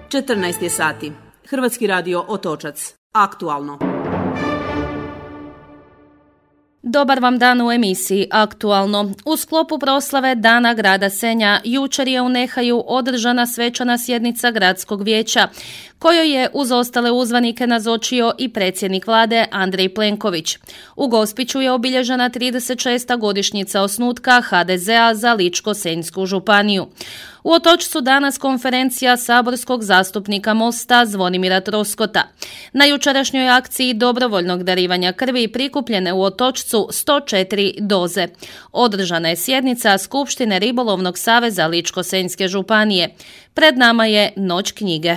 14 je sati. Hrvatski radio Otočac. Aktualno. Dobar vam dan u emisiji Aktualno. U sklopu proslave Dana grada Senja jučer je u Nehaju održana svečana sjednica gradskog vijeća, kojoj je uz ostale uzvanike nazočio i predsjednik vlade Andrej Plenković. U Gospiću je obilježena 36. godišnjica osnutka HDZ-a za Ličko-senjsku županiju. U Otočcu danas konferencija saborskog zastupnika Mosta Zvonimira Troskota. Na jučerašnjoj akciji dobrovoljnog darivanja krvi prikupljene u Otočcu 104 doze. Održana je sjednica Skupštine Ribolovnog saveza Ličko-senjske županije. Pred nama je Noć knjige.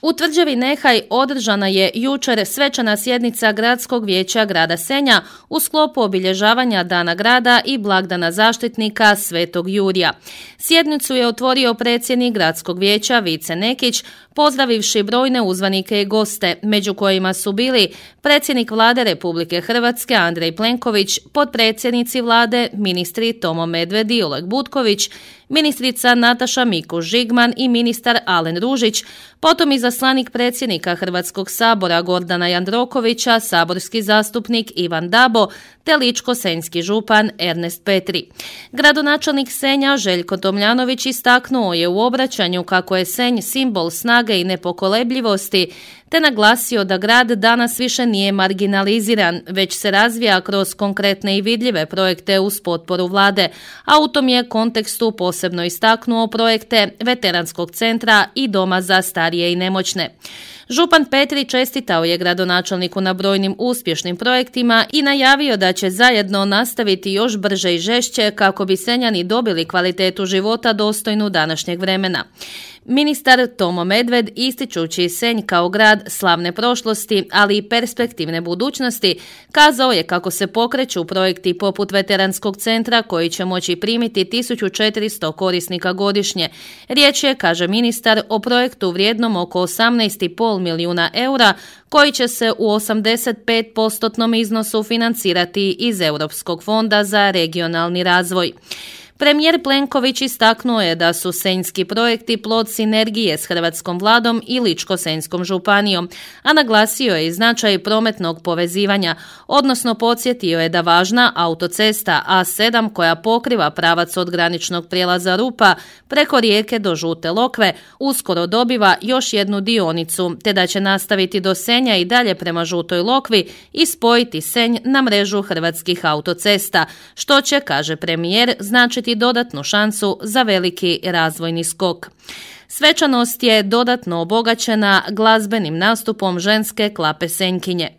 U tvrđavi Nehaj održana je jučer svečana sjednica gradskog vijeća grada Senja u sklopu obilježavanja Dana grada i blagdana zaštitnika Svetog Jurija. Sjednicu je otvorio predsjednik gradskog vijeća Vice Nekić, pozdravivši brojne uzvanike i goste, među kojima su bili predsjednik vlade Republike Hrvatske Andrej Plenković, potpredsjednici vlade ministri Tomo Medved i Oleg Butković, ministrica Nataša Mikuš Žigman i ministar Alen Ružić, potom izaslanik predsjednika Hrvatskog sabora Gordana Jandrokovića, saborski zastupnik Ivan Dabo, te ličko-senjski župan Ernest Petri. Gradonačelnik Senja Željko Tomljanović istaknuo je u obraćanju kako je Senj simbol snage i nepokolebljivosti, te naglasio da grad danas više nije marginaliziran, već se razvija kroz konkretne i vidljive projekte uz potporu vlade, a u tom je kontekstu posebno istaknuo projekte Veteranskog centra i Doma za starije i nemoćne. Župan Petri čestitao je gradonačelniku na brojnim uspješnim projektima i najavio da će zajedno nastaviti još brže i žešće kako bi Senjani dobili kvalitetu života dostojnu današnjeg vremena. Ministar Tomo Medved, ističući Senj kao grad slavne prošlosti, ali i perspektivne budućnosti, kazao je kako se pokreću projekti poput Veteranskog centra koji će moći primiti 1400 korisnika godišnje. Riječ je, kaže ministar, o projektu vrijednom oko 18,5 milijuna eura koji će se u 85% iznosu financirati iz Europskog fonda za regionalni razvoj. Premijer Plenković istaknuo je da su senjski projekti plod sinergije s hrvatskom vladom i Ličko-senjskom županijom, a naglasio je i značaj prometnog povezivanja, odnosno podsjetio je da važna autocesta A7 koja pokriva pravac od graničnog prijelaza Rupa preko Rijeke do Žute Lokve uskoro dobiva još jednu dionicu, te da će nastaviti do Senja i dalje prema Žutoj Lokvi i spojiti Senj na mrežu hrvatskih autocesta, što će, kaže premijer, značiti dodatnu šansu za veliki razvojni skok. Svečanost je dodatno obogaćena glazbenim nastupom ženske klape Senjkinje.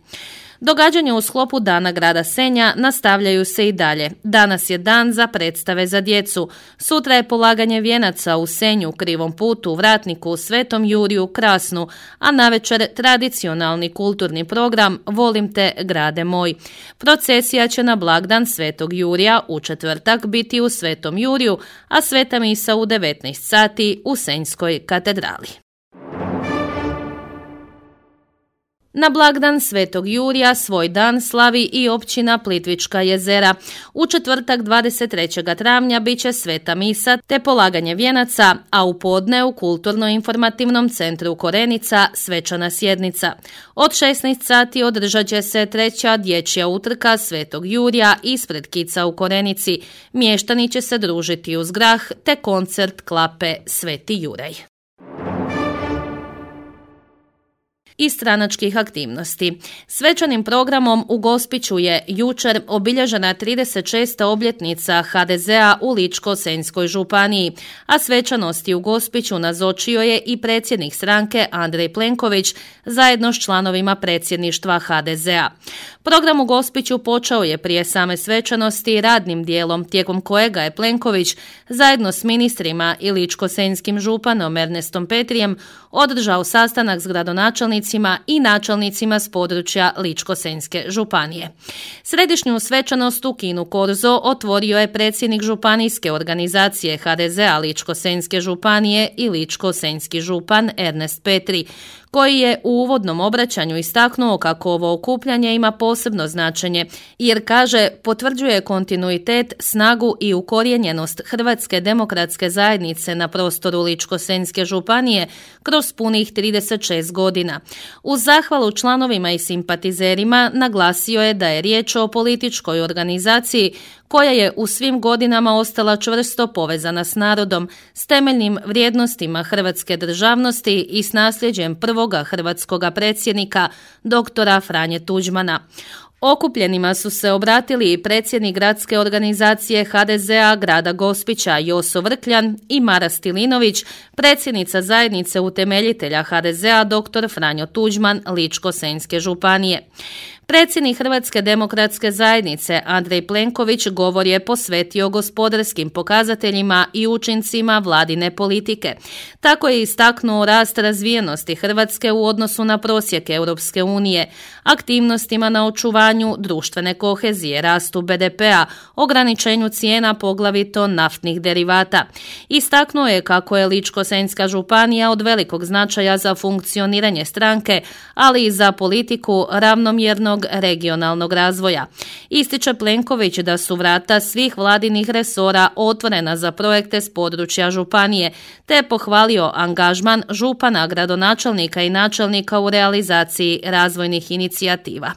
Događanja u sklopu Dana grada Senja nastavljaju se i dalje. Danas je dan za predstave za djecu. Sutra je polaganje vijenaca u Senju, Krivom putu, Vratniku, Svetom Juriju, Krasnu, a navečer tradicionalni kulturni program Volim te, grade moj. Procesija će na blagdan Svetog Jurija u četvrtak biti u Svetom Juriju, a sveta misa u 19 sati u Senjskoj katedrali. Na blagdan Svetog Jurija svoj dan slavi i općina Plitvička jezera. U četvrtak 23. travnja bit će sveta misa te polaganje vijenaca, a u podne u Kulturno-informativnom centru Korenica svečana sjednica. Od 16 sati održat će se treća dječja utrka Svetog Jurija ispred kica u Korenici. Mještani će se družiti uz grah te koncert klape Sveti Juraj. I stranačkih aktivnosti. Svečanim programom u Gospiću je jučer obilježena 36. obljetnica HDZ-a u Ličko-senjskoj županiji, a svečanosti u Gospiću nazočio je i predsjednik stranke Andrej Plenković zajedno s članovima predsjedništva HDZ-a. Program u Gospiću počeo je prije same svečanosti radnim dijelom, tijekom kojega je Plenković zajedno s ministrima i ličko-senjskim županom Ernestom Petrijem održao sastanak s gradonačelnicima i načelnicima s područja Ličko-senjske županije. Središnju svečanost u kinu Korzo otvorio je predsjednik županijske organizacije HDZ-a Ličko-senjske županije i ličko-senjski župan Ernest Petri, koji je u uvodnom obraćanju istaknuo kako ovo okupljanje ima posebno značenje, jer kaže potvrđuje kontinuitet, snagu i ukorijenjenost Hrvatske demokratske zajednice na prostoru Ličko-senjske županije kroz punih 36 godina. Uz zahvalu članovima i simpatizerima naglasio je da je riječ o političkoj organizaciji koja je u svim godinama ostala čvrsto povezana s narodom, s temeljnim vrijednostima hrvatske državnosti i s nasljeđem prvoga hrvatskoga predsjednika, doktora Franje Tuđmana. Okupljenima su se obratili i predsjednik gradske organizacije HDZ-a grada Gospića Joso Vrkljan i Mara Stilinović, predsjednica zajednice utemeljitelja HDZ-a dr. Franjo Tuđman Ličko-senjske županije. Predsjednik Hrvatske demokratske zajednice Andrej Plenković govor je posvetio gospodarskim pokazateljima i učincima vladine politike. Tako je istaknuo rast razvijenosti Hrvatske u odnosu na prosjek Europske unije, aktivnostima na očuvanju društvene kohezije, rastu BDP-a, ograničenju cijena poglavito naftnih derivata. Istaknuo je kako je Ličko-senjska županija od velikog značaja za funkcioniranje stranke, ali i za politiku ravnomjernog regionalnog razvoja. Ističe Plenković da su vrata svih vladinih resora otvorena za projekte s područja županije, te je pohvalio angažman župana, gradonačelnika i načelnika u realizaciji razvojnih inicijativa.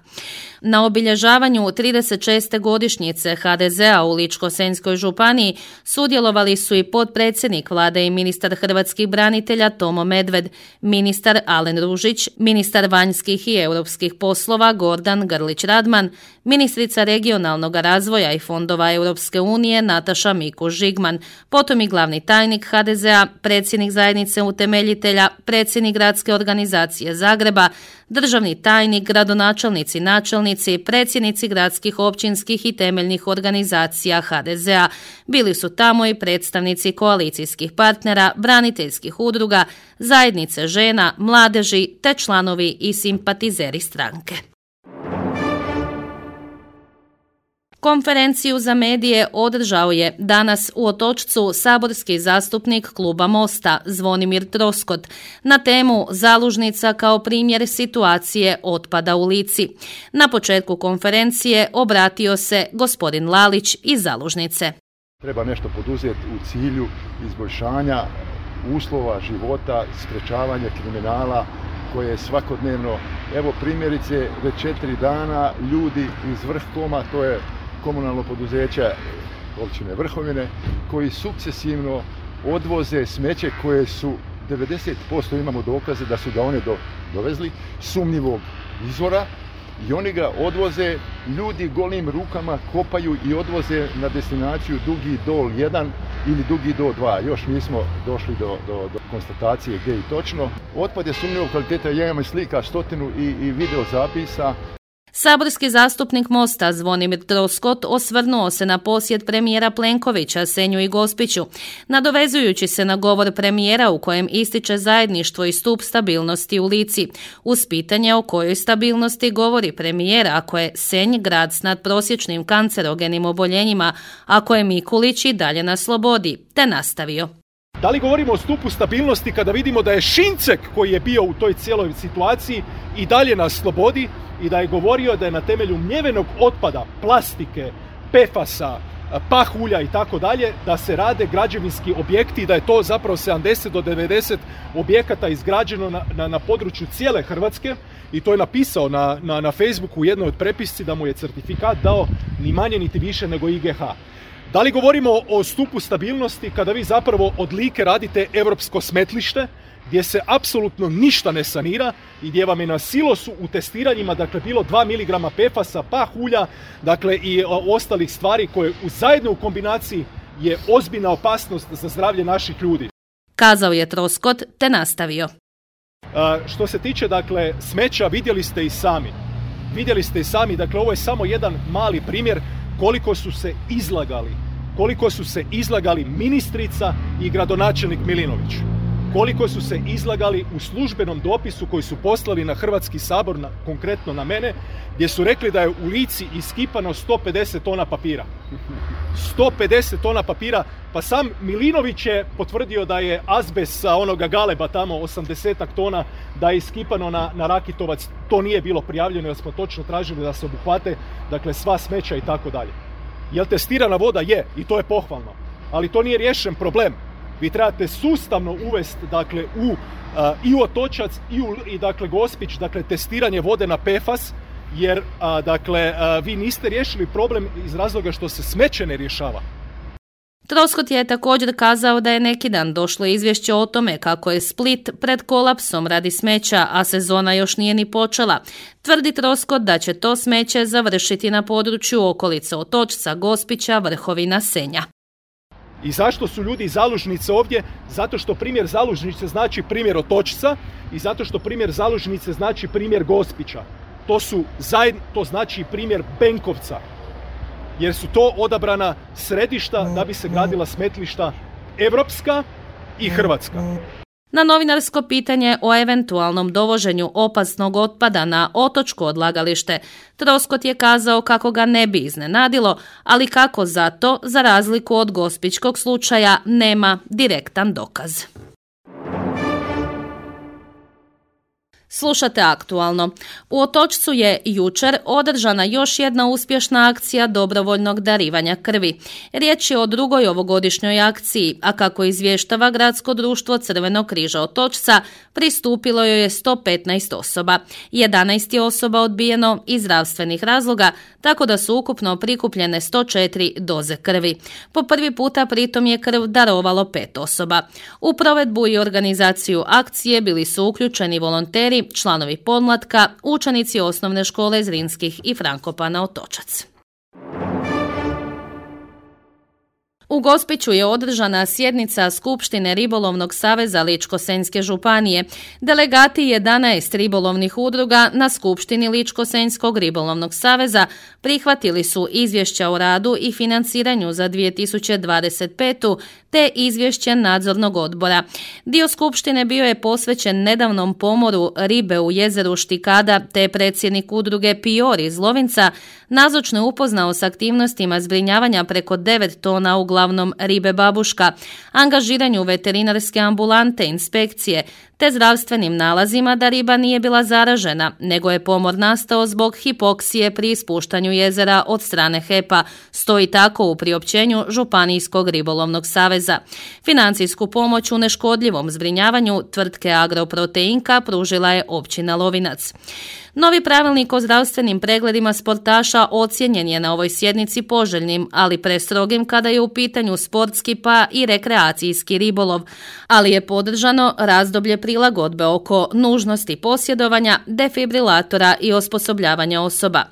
Na obilježavanju 36. godišnjice HDZ-a u Ličko-senjskoj županiji sudjelovali su i potpredsjednik vlade i ministar hrvatskih branitelja Tomo Medved, ministar Alen Ružić, ministar vanjskih i europskih poslova Gordan Grlić Radman, ministrica regionalnog razvoja i fondova Europske unije Nataša Mikuš Žigman, potom i glavni tajnik HDZ-a, predsjednik zajednice utemeljitelja, predsjednik gradske organizacije Zagreba, državni tajnik, gradonačelnici, načelnici, predsjednici gradskih, općinskih i temeljnih organizacija HDZ-a. Bili su tamo i predstavnici koalicijskih partnera, braniteljskih udruga, zajednice žena, mladeži te članovi i simpatizeri stranke. Konferenciju za medije održao je danas u Otočcu saborski zastupnik kluba Mosta Zvonimir Troskot na temu Zalužnica kao primjer situacije otpada u Lici. Na početku konferencije obratio se gospodin Lalić iz Zalužnice. Treba nešto poduzeti u cilju izboljšanja uslova života, sprečavanja kriminala koje je svakodnevno. Evo primjerice, već 4 dana ljudi iz Vrhkoma, to je komunalno poduzeće općine Vrhovine, koji sukcesivno odvoze smeće koje su 90% imamo dokaze da su ga one dovezli sumnjivog izvora i oni ga odvoze, ljudi golim rukama kopaju i odvoze na destinaciju Dugi Dol 1 ili Dugi Dol 2. Još nismo došli do konstatacije gdje i točno. Otpad je sumnjivog kvaliteta, ja imam i slika 100 i video zapisa. Saborski zastupnik Mosta Zvonimir Troskot osvrnuo se na posjet premijera Plenkovića Senju i Gospiću, nadovezujući se na govor premijera u kojem ističe zajedništvo i stup stabilnosti u Lici. Uz pitanje o kojoj stabilnosti govori premijer ako je Senj grad s nadprosječnim kancerogenim oboljenjima, ako je Mikulić i dalje na slobodi, te nastavio. Da li govorimo o stupu stabilnosti kada vidimo da je Šincek koji je bio u toj cijeloj situaciji i dalje na slobodi i da je govorio da je na temelju mljevenog otpada, plastike, PFAS-a, pahulja i tako dalje, da se rade građevinski objekti i da je to zapravo 70 do 90 objekata izgrađeno na području cijele Hrvatske i to je napisao na Facebooku u jednoj od prepisci da mu je certifikat dao ni manje niti više nego IGH. Da li govorimo o stupu stabilnosti kada vi zapravo od Like radite europsko smetlište gdje se apsolutno ništa ne sanira i gdje vam je na silosu u testiranjima dakle bilo 2 mg PFAS-a, pahulja, dakle i ostalih stvari koje zajedno u kombinaciji je ozbiljna opasnost za zdravlje naših ljudi. Kazao je Troskot te nastavio. Što se tiče dakle smeća, vidjeli ste i sami, dakle ovo je samo jedan mali primjer koliko su se izlagali ministrica i gradonačelnik Milinović. koliko su se izlagali u službenom dopisu koji su poslali na Hrvatski sabor, konkretno na mene, gdje su rekli da je u Lici iskipano 150 tona papira. 150 tona papira, pa sam Milinović je potvrdio da je azbest sa onoga Galeba tamo 80 tona, da je iskipano na Rakitovac. To nije bilo prijavljeno jer smo točno tražili da se obuhvate, dakle, sva smeća i tako dalje. Jel testirana voda? Je, i to je pohvalno. Ali to nije riješen problem. Vi trebate sustavno uvesti, dakle, i u Otočac i dakle, Gospić, dakle, testiranje vode na PFAS, jer dakle, vi niste riješili problem iz razloga što se smeće ne rješava. Troskot je također kazao da je neki dan došlo izvješće o tome kako je Split pred kolapsom radi smeća, a sezona još nije ni počela. Tvrdi Troskot da će to smeće završiti na području okolice Otočca, Gospića, Vrhovina, Senja. I zašto su ljudi iz Zalužnice ovdje? Zato što primjer Zalužnice znači primjer Otočca i zato što primjer Zalužnice znači primjer Gospića. To znači primjer Benkovca, jer su to odabrana središta da bi se gradila smetlišta europska i hrvatska. Na novinarsko pitanje o eventualnom dovoženju opasnog otpada na otočko odlagalište, Troskot je kazao kako ga ne bi iznenadilo, ali kako zato, za razliku od gospićkog slučaja, nema direktan dokaz. Slušate Aktualno. U Otočcu je jučer održana još jedna uspješna akcija dobrovoljnog darivanja krvi. Riječ je o drugoj ovogodišnjoj akciji, a kako izvještava Gradsko društvo Crvenog križa Otočca, pristupilo joj je 115 osoba. 11 je osoba odbijeno iz zdravstvenih razloga, tako da su ukupno prikupljene 104 doze krvi. Po prvi puta pritom je krv darovalo 5 osoba. U provedbu i organizaciju akcije bili su uključeni volonteri, članovi podmlatka, učenici osnovne škole Zrinskih i Frankopana Otočac. U Gospiću je održana sjednica Skupštine Ribolovnog saveza Ličko-senjske županije. Delegati 11 ribolovnih udruga na Skupštini Ličko-senjskog ribolovnog saveza prihvatili su izvješća o radu i financiranju za 2025. te izvješće nadzornog odbora. Dio skupštine bio je posvećen nedavnom pomoru ribe u jezeru Štikada, te predsjednik udruge Pior iz Lovinca nazočno je upoznao s aktivnostima zbrinjavanja preko 9 tona uglavnom ribe babuška, angažiranju veterinarske ambulante, inspekcije, te zdravstvenim nalazima da riba nije bila zaražena, nego je pomor nastao zbog hipoksije pri ispuštanju jezera od strane HEP-a, stoji tako u priopćenju Županijskog ribolovnog saveza. Financijsku pomoć u neškodljivom zbrinjavanju tvrtke Agroproteinka pružila je općina Lovinac. Novi pravilnik o zdravstvenim pregledima sportaša ocijenjen je na ovoj sjednici poželjnim, ali prestrogim kada je u pitanju sportski pa i rekreacijski ribolov, ali je podržano razdoblje prilagodbe oko nužnosti posjedovanja, defibrilatora i osposobljavanja osoba.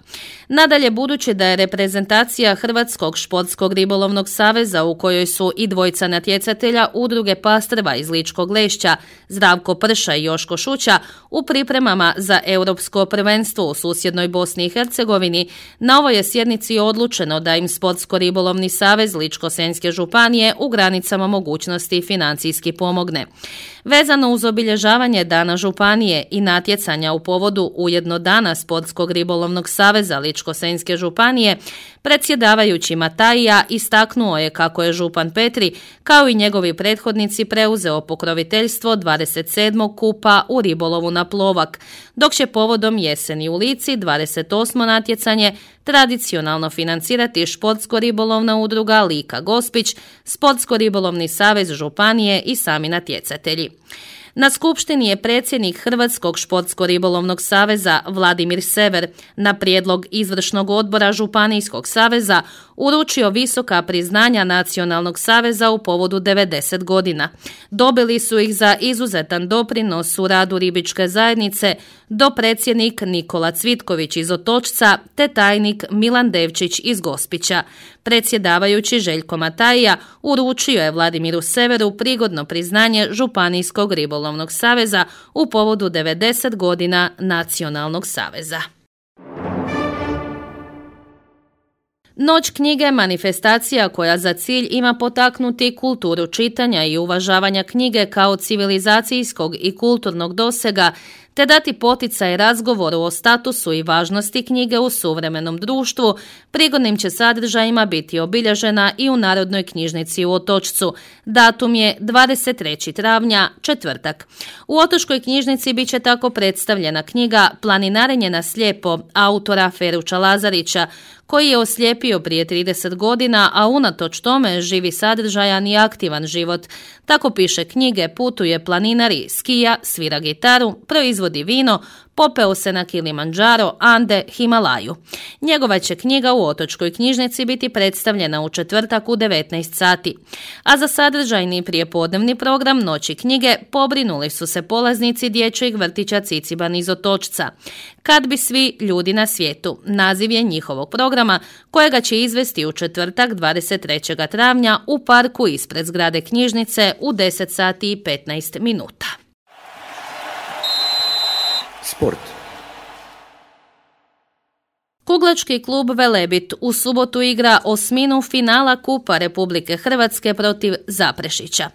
Nadalje, budući da je reprezentacija Hrvatskog športskog ribolovnog saveza u kojoj su i dvojica natjecatelja udruge Pastrva iz Ličkog Lešća, Zdravko Prša i Joško Šuća, u pripremama za europsko prvenstvo u susjednoj Bosni i Hercegovini, na ovoj je sjednici odlučeno da im Sportsko-ribolovni savez Ličko-senjske županije u granicama mogućnosti financijski pomogne. Vezano uz obilježavanje Dana županije i natjecanja u povodu ujedno Dana Sportskog ribolovnog saveza Ličko-senjske županije, predsjedavajući Matajija istaknuo je kako je župan Petri, kao i njegovi prethodnici, preuzeo pokroviteljstvo 27. kupa u ribolovu na Plovak, dok će povodom jeseni u Lici 28. natjecanje tradicionalno financirati Športsko-ribolovna udruga Lika Gospić, Sportsko-ribolovni savez županije i sami natjecatelji. Na skupštini je predsjednik Hrvatskog športsko-ribolovnog saveza Vladimir Sever na prijedlog izvršnog odbora Županijskog saveza uručio visoka priznanja Nacionalnog saveza u povodu 90 godina. Dobili su ih za izuzetan doprinos u radu ribičke zajednice dopredsjednik Nikola Cvitković iz Otočca te tajnik Milan Devčić iz Gospića. Predsjedavajući Željko Matajija uručio je Vladimiru Severu prigodno priznanje Županijskog ribolovnog saveza u povodu 90 godina Nacionalnog saveza. Noć knjige manifestacija koja za cilj ima potaknuti kulturu čitanja i uvažavanja knjige kao civilizacijskog i kulturnog dosega, te dati poticaj razgovoru o statusu i važnosti knjige u suvremenom društvu, prigodnim će sadržajima biti obilježena i u Narodnoj knjižnici u Otočcu. Datum je 23. travnja, četvrtak. U Otočkoj knjižnici bit će tako predstavljena knjiga Planinarenje na slijepo autora Feruča Lazarića, koji je oslijepio prije 30 godina, a unatoč tome živi sadržajan i aktivan život. Tako piše knjige, putuje planinari, skija, svira gitaru, proizvodi vino, popeo se na Kilimandžaro, Ande, Himalaju. Njegova će knjiga u Otočkoj knjižnici biti predstavljena u četvrtak u 19 sati. A za sadržajni prijepodnevni program Noći knjige pobrinuli su se polaznici dječjeg vrtića Ciciban iz Otočca. Kad bi svi ljudi na svijetu, naziv je njihovog programa, kojega će izvesti u četvrtak 23. travnja u parku ispred zgrade knjižnice u 10 sati i 15 minuta. Sport. Kuglački klub Velebit u subotu igra osminu finala Kupa Republike Hrvatske protiv Zaprešića.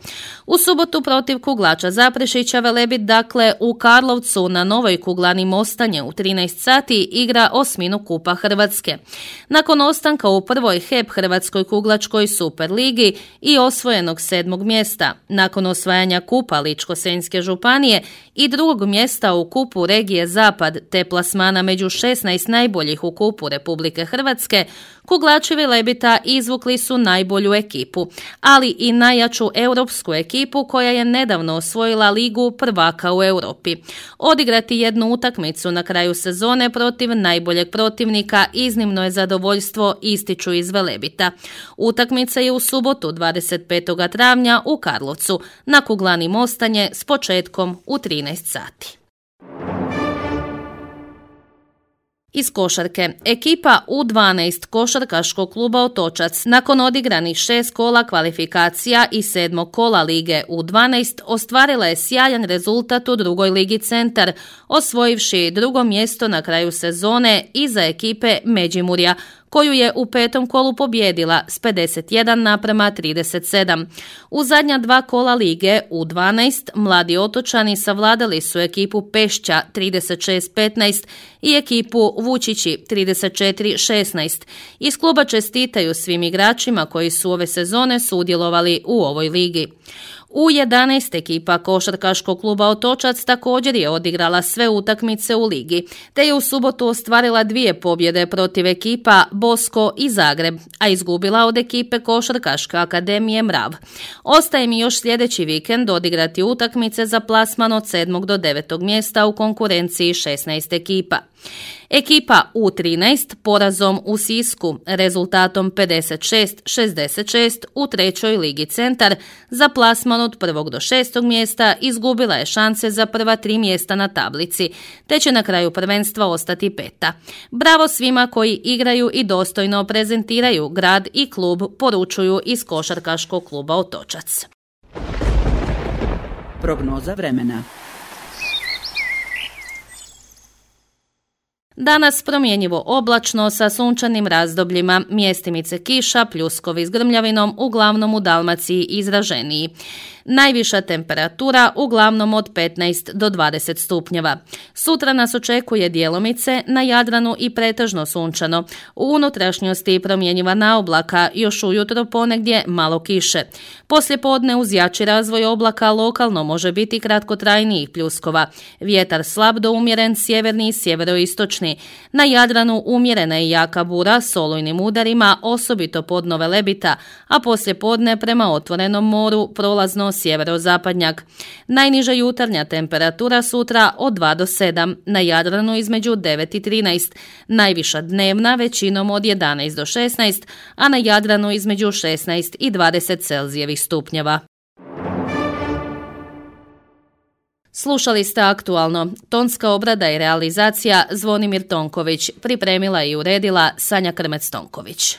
U subotu protiv kuglača Zaprešića Velebit dakle u Karlovcu na Novoj kuglani Mostanje u 13 sati igra osminu Kupa Hrvatske. Nakon ostanka u prvoj HEP Hrvatskoj kuglačkoj Superligi i osvojenog 7. mjesta, nakon osvajanja Kupa Ličko-senjske županije i 2. mjesta u Kupu regije Zapad te plasmana među 16 najboljih u Kupu Republike Hrvatske, kuglači Velebita izvukli su najbolju ekipu, ali i najjaču europsku ekipu koja je nedavno osvojila Ligu prvaka u Europi. Odigrati jednu utakmicu na kraju sezone protiv najboljeg protivnika iznimno je zadovoljstvo, ističu iz Velebita. Utakmica je u subotu 25. travnja u Karlovcu na kuglani Mostanje s početkom u 13 sati. Iz košarke. Ekipa U12 košarkaškog kluba Otočac nakon odigranih 6 kola kvalifikacija i 7. kola lige U12 ostvarila je sjajan rezultat u drugoj ligi Centar, osvojivši 2. mjesto na kraju sezone iza ekipe Međimurja, koju je u 5. kolu pobijedila s 51:37. U zadnja 2 kola lige U12 mladi Otočani savladali su ekipu Pešća 36:15 i ekipu Vučići 34:16. Iz kluba čestitaju svim igračima koji su ove sezone sudjelovali u ovoj ligi. U11 ekipa košarkaškog kluba Otočac također je odigrala sve utakmice u ligi, te je u subotu ostvarila 2 pobjede protiv ekipa Bosko i Zagreb, a izgubila od ekipe Košarkaške akademije Mrav. Ostaje mi još sljedeći vikend odigrati utakmice za plasman od 7. do 9. mjesta u konkurenciji 16 ekipa. Ekipa U13 porazom u Sisku rezultatom 56-66 u 3. ligi Centar za plasman od 1. do 6. mjesta izgubila je šanse za prva 3 mjesta na tablici, te će na kraju prvenstva ostati 5. Bravo svima koji igraju i dostojno prezentiraju grad i klub, poručuju iz košarkaškog kluba Otočac. Prognoza vremena. Danas promjenjivo oblačno sa sunčanim razdobljima, mjestimice kiša, pljuskovi s grmljavinom, uglavnom u Dalmaciji izraženiji. Najviša temperatura uglavnom od 15 do 20 stupnjeva. Sutra nas očekuje djelomice, na Jadranu i pretežno sunčano. U unutrašnjosti promjenjiva naoblaka, još ujutro ponegdje malo kiše. Poslijepodne uz jači razvoj oblaka lokalno može biti kratkotrajnijih pljuskova. Vjetar slab do umjeren sjeverni i sjeveroistočni. Na Jadranu umjerena i jaka bura s olujnim udarima, osobito podno Velebita, a poslijepodne prema otvorenom moru prolazno sjeverozapadnjak. Najniža jutarnja temperatura sutra od 2 do 7, na Jadranu između 9 i 13, najviša dnevna većinom od 11 do 16, a na Jadranu između 16 i 20 Celzijevih stupnjeva. Slušali ste Aktualno. Tonska obrada i realizacija Zvonimir Tonković. Pripremila i uredila Sanja Krmec-Tonković.